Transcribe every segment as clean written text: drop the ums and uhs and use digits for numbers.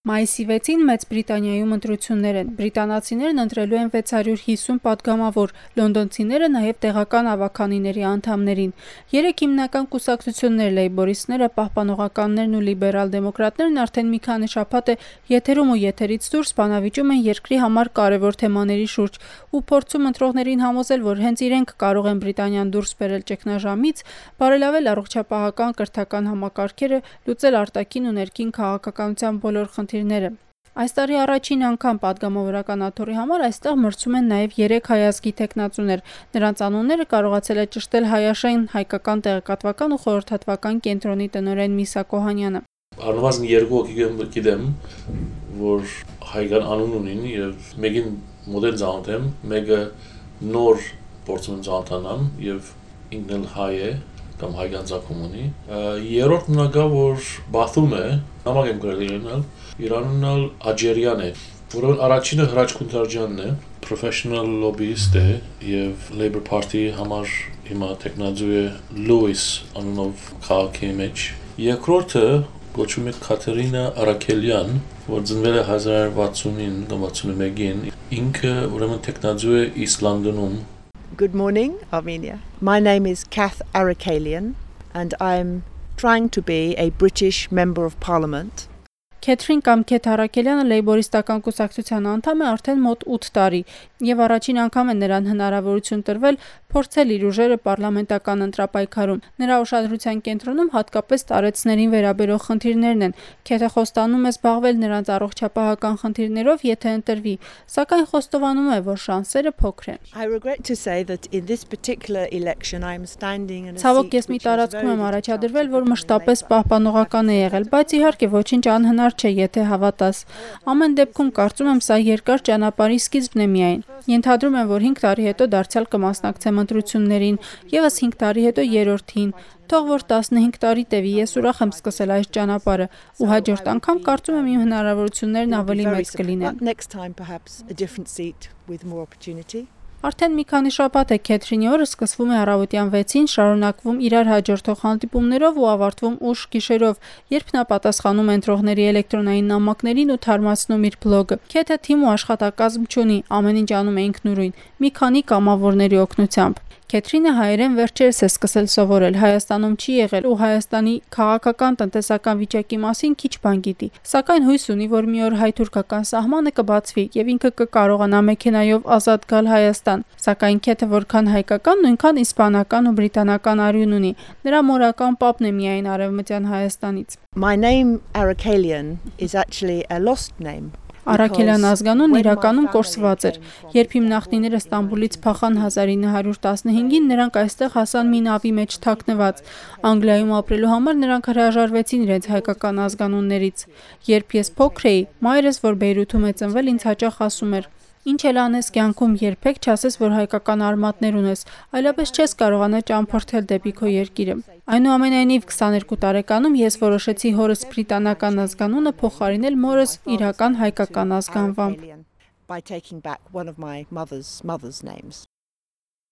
Մայիսի 6-ին Մեծ Բրիտանիայում ընտրություններ են։ Բրիտանացիներն ընտրելու են 650 պատգամավոր, լոնդոնցիները նաև տեղական ավագանիների անդամներին։ 3 հիմնական կուսակցություններ՝ լեյբորիստները, պահպանողականներն ու լիբերալ դեմոկրատներն արդեն մի քանի շաբաթ է եթերում ու եթերից դուրս բանավիճում են երկրի համար կարևոր թեմաների շուրջ ու փորձում ընտրողներին համոզել, որ հենց իրենք կարող են Բրիտանիան դուրս բերել ճգնաժամից, բարելավել առողջապահական կրթական համակարգերը, լուծել արտաքին ու ներքին քաղաքականության բոլոր խնդիրները։ Այս տարի առաջին անգամ պատգամավորական աթոռի համար այստեղ մրցում են նաև 3 հայազգի թեկնածուներ։ Նրանց անունները կարողացել է ճշտել Հայաշեն հայկական տեղեկատվական ու խորհրդատվական կենտրոնի տնօրեն Միսա Կոհանյանը։ Առնվազն 2 հոգի գիտեմ, որ հայկական անուն ունին եւ մեկին մոդել ծանոթ եմ, մեկը նոր փորձում եմ ծանոթանամ եւ ինքն էլ հայ է կամ հայկական ծագում ունի։ Երրորդ մնագա որ Բաթում է, նամակ եմ գրել Իրանն էլ Աջերյան է, որովհետեւ առաջինը Հրաչ Քունթարջյանն է, professional lobbyist է եւ Labour Party-ի համար հիմա տեխնազու է Լուիս անունով քաղաքի մեջ։ Երկրորդը կոչվում է Կաթերինա Արաքելյան, որ ծնվել է 1969 կամ 61-ին, ինքը ուրեմն տեխնազու է East London-ում։ Good morning, Armenia. My name is Kath Arakelian and I'm trying to be a British Member of Parliament. Քեթրին կամ Քեթ Արաքելյանը լեյբորիստական կուսակցության անդամ է արդեն մոտ 8 տարի եւ առաջին անգամ է նրան հնարավորություն տրվել փորձել իր ուժերը պարլամենտական ընտրապայքարում։ Նրա ուշադրության կենտրոնում հատկապես տարեցներին վերաբերող խնդիրներն են։ Քեթը խոստանում է զբաղվել նրանց առողջապահական խնդիրներով, եթե ընտրվի, սակայն խոստովանում է, որ շանսերը փոքր են։ I regret to say that in this particular election I am standing in a Ցավոք ես մի տարածքում եմ առաջադրվել, որ մշտապես պահպանողական է եղել, բայց իհարկե ոչինչ անհնար չէ, եթե հավատաս։ Ամեն դեպքում կարծում եմ սա երկար ճանապարհի սկիզբն է միայն։ Ենթադրում եմ, որ 5 տարի հետո դարձյալ կմասնակցեմ ընտրություններին, եւս 5 տարի հետո երրորդին։ Թող որ 15 տարի տևի, ես ուրախ եմ սկսել այս ճանապարհը ու հաջորդ անգամ կարծում եմ իմ հնարավորություններն ավելի մեծ կլինեն։ Next time perhaps a different seat with more opportunity. Արդեն մի քանի շաբաթ է Քեթրինի օրը սկսվում է առավոտյան 6-ին, շարունակվում իրար հաջորդող հանդիպումներով ու ավարտվում ուշ գիշերով, երբ նա պատասխանում է ընտրողների էլեկտրոնային նամակներին ու թարմացնում իր բլոգը։ Քեթը թիմ ու աշխատակազմ չունի, ամեն ինչ անում է ինքնուրույն, մի քանի կամավորների օգնությամբ։ Քեթրինը հայերեն վերջերս է սկսել սովորել, Հայաստանում չի եղել ու Հայաստանի քաղաքական տնտեսական վիճակի մասին քիչ բան գիտի, սակայն հույս ունի, որ մի օր հայ-թուրքական սահմանը կբացվի եւ ինքը կկարողանա մեքենայով ազատ գալ Հայաստան, սակայն Քեթը որքան հայկական, նույնքան իսպանական ու բրիտանական արյուն ունի, նրա մորական պապն է միայն արևմտյան Հայաստանից։ My name Arakelian is actually a lost name. Արաքելյան ազգանունն իրականում կորսված էր։ Երբ իմ նախնիները Ստամբուլից փախան 1915-ին, նրանք այստեղ հասան մի նավի մեջ թաքնված։ Անգլիայում ապրելու համար նրանք հրաժարվեցին իրենց հայկական ազգանուններից։ Երբ ես փոքր էի, մայրս, որ Բեյրութում է ծնվել, ինձ հաճախ ասում էր. Ինչ էլ անես կյանքում, երբեք չասես, որ հայկական արմատներ ունես, այլապես չես կարողանա ճամփորդել դեպի քո երկիրը։ Այնուամենայնիվ 22 տարեկանում ես որոշեցի հորս բրիտանական ազգանունը փոխարինել մորս իրական հայկական ազգանվամբ։ By taking back one of my mother's names.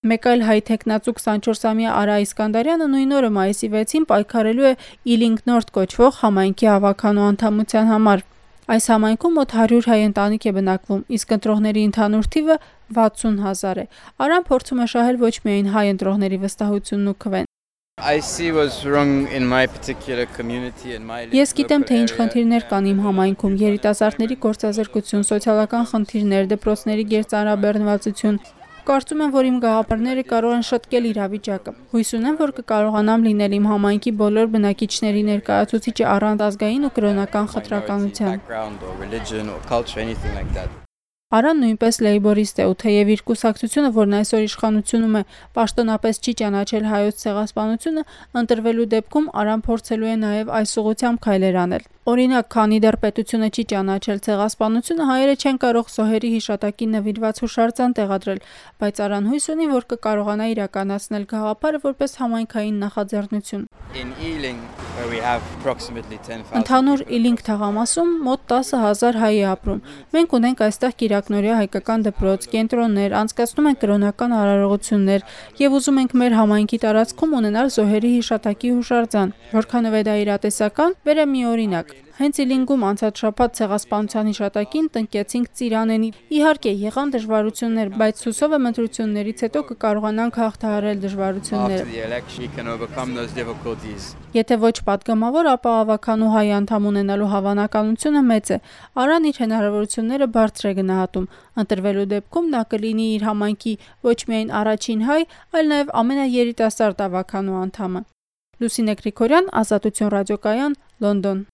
Մեկ այլ հայ տեխնացու 24-ամյա Արա Իսկանդարյանը նույն օրը մայիսի 6-ին պայքարելու է Ealing North կոչվող համայնքի ավականու անդամության համար։ Այս համայնքում մոտ 100 հայ ընտանիք է բնակվում, իսկ ընտրողների ընդհանուր թիվը 60,000 է։ Արան փորձում է շահել ոչ միայն հայ ընտրողների վստահությունն ու քվեն։ Ես գիտեմ, թե ինչ խնդիրներ կան իմ համայնքում՝ երիտասարդների գործազրկություն, սոցիալական խնդիրներ, դպրոցների գերծանրաբեռնվածություն։ Կարծում եմ, որ իմ գաղափարները կարող են շտկել իրավիճակը։ Հույս ունեմ, որ կկարողանամ լինել իմ համայնքի բոլոր բնակիչների ներկայացուցիչը առանց ազգային ու կրոնական խտրականության։ Արան նույնպես լեյբորիստ է ու թեև իր կուսակցությունը, որն այսօր իշխանությունում է, պաշտոնապես չի ճանաչել հայոց ցեղասպանությունը, ընտրվելու դեպքում Արան փորձելու է նաև այս ուղղությամբ քայլեր անել։ Օրինակ, քանի դեռ պետությունը չի ճանաչել ցեղասպանությունը, հայերը չեն կարող զոհերի հիշատակին նվիրված հուշարձան տեղադրել, բայց Արան հույս ունի, որ կկարողանա իրականացնել գաղափարը որպես համայնքային նախաձեռնություն։ Ընդհանուր Ealing թաղամասում մոտ 10,000 հայ է ապրում։ Մենք ունենք այստեղ կիրակնօրյա հայկական դպրոց, կենտրոններ, անցկացնում ենք կրոնական արարողություններ եւ ուզում ենք մեր համայնքի տարածքում ունենալ զոհերի հիշատակի հուշարձան։ Որքանով է դա իրատեսական, բերեմ մի օրինակ։ Հենց Իլինգում անցած շաբաթ ցեղասպանության հիշատակին տնկեցինք Ծիրանենի։ Իհարկե, եղան դժվարություններ, բայց հուսով եմ ընտրություններից հետո կկարողանանք հաղթահարել դժվարությունները։ Եթե ոչ պատգամավոր, ապա ավականու հայ անդամ ունենալու հավանականությունը մեծ է։ Արան իր հնարավորությունները բարձր է գնահատում։ Ընտրվելու դեպքում նա կլինի իր համայնքի ոչ միայն առաջին հայ, այլ նաև ամենաերիտասարդ ավականու անդամը։ Լուսինե Գրիգորյան, Ազատություն ռադիոկայան, Լոնդոն։